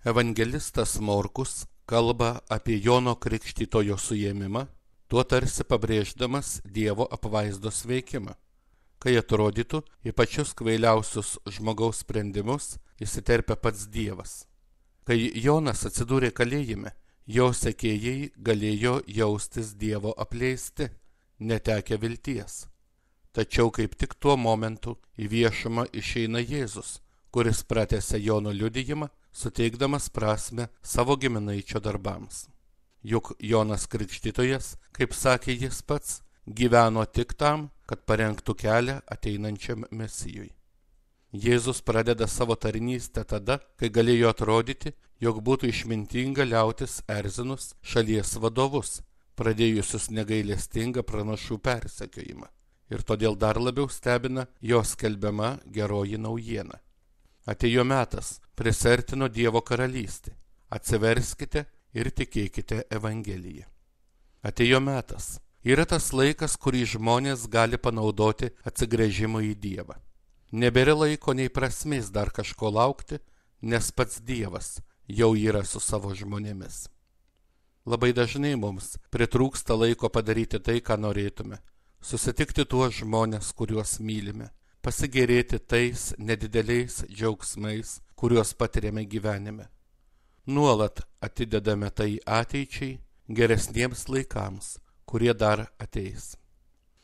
Evangelistas Morkus kalba apie Jono Krikštytojo suėmimą, tuo tarsi pabrėždamas Dievo apvaizdos veikimą, kai atrodytų į pačius kvailiausius žmogaus sprendimus įsiterpia pats Dievas. Kai Jonas atsidūrė kalėjime, jo sekėjai galėjo jaustis Dievo apleisti, netekę vilties. Tačiau kaip tik tuo momentu į viešumą išeina Jėzus, kuris pratęsia Jono liudijimą, suteikdamas prasmę savo giminaičio darbams. Juk Jonas Krikštytojas, kaip sakė jis pats, gyveno tik tam, kad parengtų kelią ateinančiam Mesijui. Jėzus pradeda savo tarnystę tada, kai galėjo atrodyti, jog būtų išmintinga liautis erzinus šalies vadovus, pradėjusius negailestingą pranašų persekiojimą. Ir todėl dar labiau stebina jo skelbiama geroji naujiena. Atėjo metas, prisertino Dievo karalystė. Atsiverskite ir tikėkite Evangeliją. Atėjo metas. Yra tas laikas, kurį žmonės gali panaudoti atsigręžimui į Dievą. Nebėra laiko nei prasmės dar kažko laukti, nes pats Dievas jau yra su savo žmonėmis. Labai dažnai mums pritrūksta laiko padaryti tai, ką norėtume. Susitikti tuos žmonės, kuriuos mylime, pasigėrėti tais nedideliais džiaugsmais, kuriuos patiriame gyvenime. Nuolat atidedame tai ateičiai, geresniems laikams, kurie dar ateis.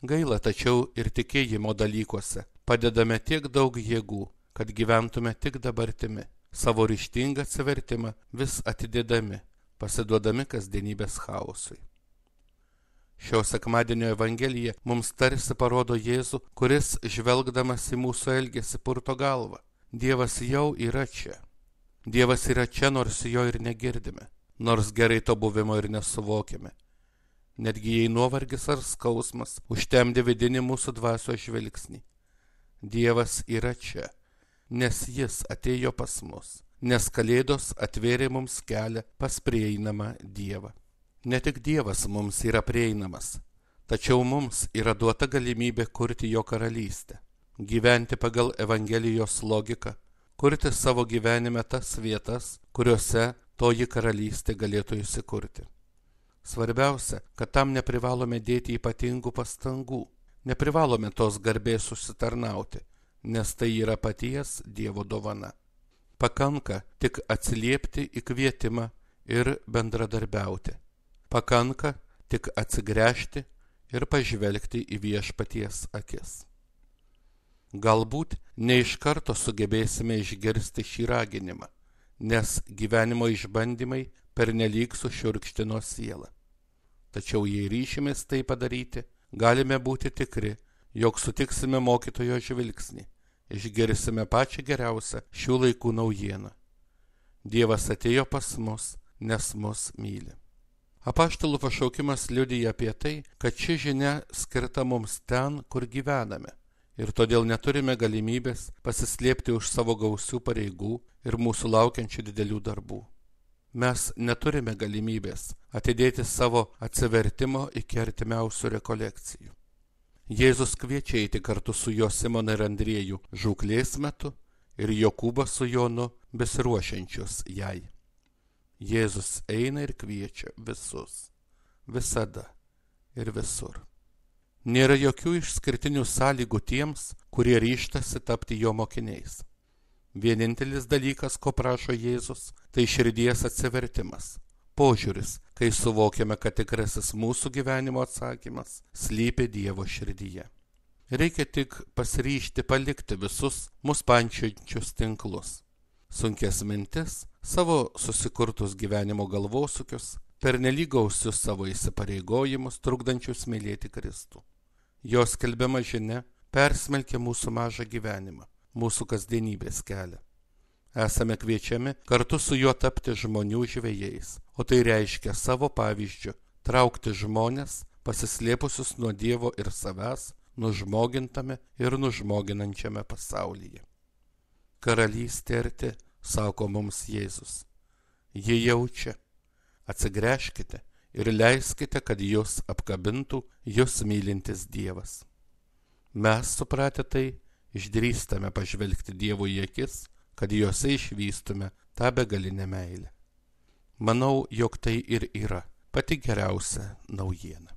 Gaila, tačiau ir tikėjimo dalykuose padedame tiek daug jėgų, kad gyventume tik dabartimi, savo ryžtingą atsivertimą vis atidedami, pasiduodami kasdienybės chaosui. Šio sekmadienio Evangelija mums tarsi parodo Jėzų, kuris, žvelgdamas į mūsų elgesį, purto galvą. Dievas jau yra čia. Dievas yra čia, nors jo ir negirdime, nors gerai to buvimo ir nesuvokime. Netgi jei nuovargis ar skausmas užtemdė vidinį mūsų dvasios žvilgsnį. Dievas yra čia, nes jis atėjo pas mus, nes Kalėdos atvėrė mums kelią pas prieinamą Dievą. Ne tik Dievas mums yra prieinamas, tačiau mums yra duota galimybė kurti jo karalystę, gyventi pagal Evangelijos logiką, kurti savo gyvenime tas vietas, kuriuose toji karalystė galėtų įsikurti. Svarbiausia, kad tam neprivalome dėti ypatingų pastangų, neprivalome tos garbės užsitarnauti, nes tai yra paties Dievo dovana. Pakanka tik atsiliepti į kvietimą ir bendradarbiauti. Pakanka tik atsigręžti ir pažvelgti į viešpaties akis. Galbūt ne iš karto sugebėsime išgirsti šį raginimą, nes gyvenimo išbandymai pernelyg sušiurkštino sielą. Tačiau jei ryšimės tai padaryti, galime būti tikri, jog sutiksime mokytojo žvilgsnį, išgirsime pačią geriausią šių laikų naujieną. Dievas atėjo pas mus, nes mus myli. Apaštalų pašaukimas liudija apie tai, kad ši žinia skirta mums ten, kur gyvename, ir todėl neturime galimybės pasislėpti už savo gausių pareigų ir mūsų laukiančių didelių darbų. Mes neturime galimybės atidėti savo atsivertimo iki artimiausių rekolekcijų. Jėzus kviečia eiti kartu su juo Simoną ir Andriejų žūklės metu ir Jokūbą su Jonu besiruošiančius jai. Jėzus eina ir kviečia visus, visada ir visur. Nėra jokių išskirtinių sąlygų tiems, kurie ryžtasi tapti jo mokiniais. Vienintelis dalykas, ko prašo Jėzus, tai širdies atsivertimas, požiūris, kai suvokiame, kad tikrasis mūsų gyvenimo atsakymas slypi Dievo širdyje. Reikia tik pasiryžti palikti visus mus pančiojančius tinklus, sunkias mintis, savo susikurtus gyvenimo galvosukius, pernelyg gausius savo įsipareigojimus, trukdančius mylėti Kristų. Jo skelbiama žinia persmelkia mūsų mažą gyvenimą, mūsų kasdienybės kelią. Esame kviečiami kartu su juo tapti žmonių žvejais, o tai reiškia savo pavyzdžiu traukti žmonės, pasislėpusius nuo Dievo ir savęs, nužmogintame ir nužmoginančiame pasaulyje. Karalystė arti, sako mums Jėzus. Ji jaučia. Atsigręžkite ir leiskite, kad jūs apkabintų jūs mylintis Dievas. Mes, supratę tai, išdrįstame pažvelgti Dievui į akis kad juose išvystume tą begalinę meilę. Manau, jog tai ir yra pati geriausia naujiena.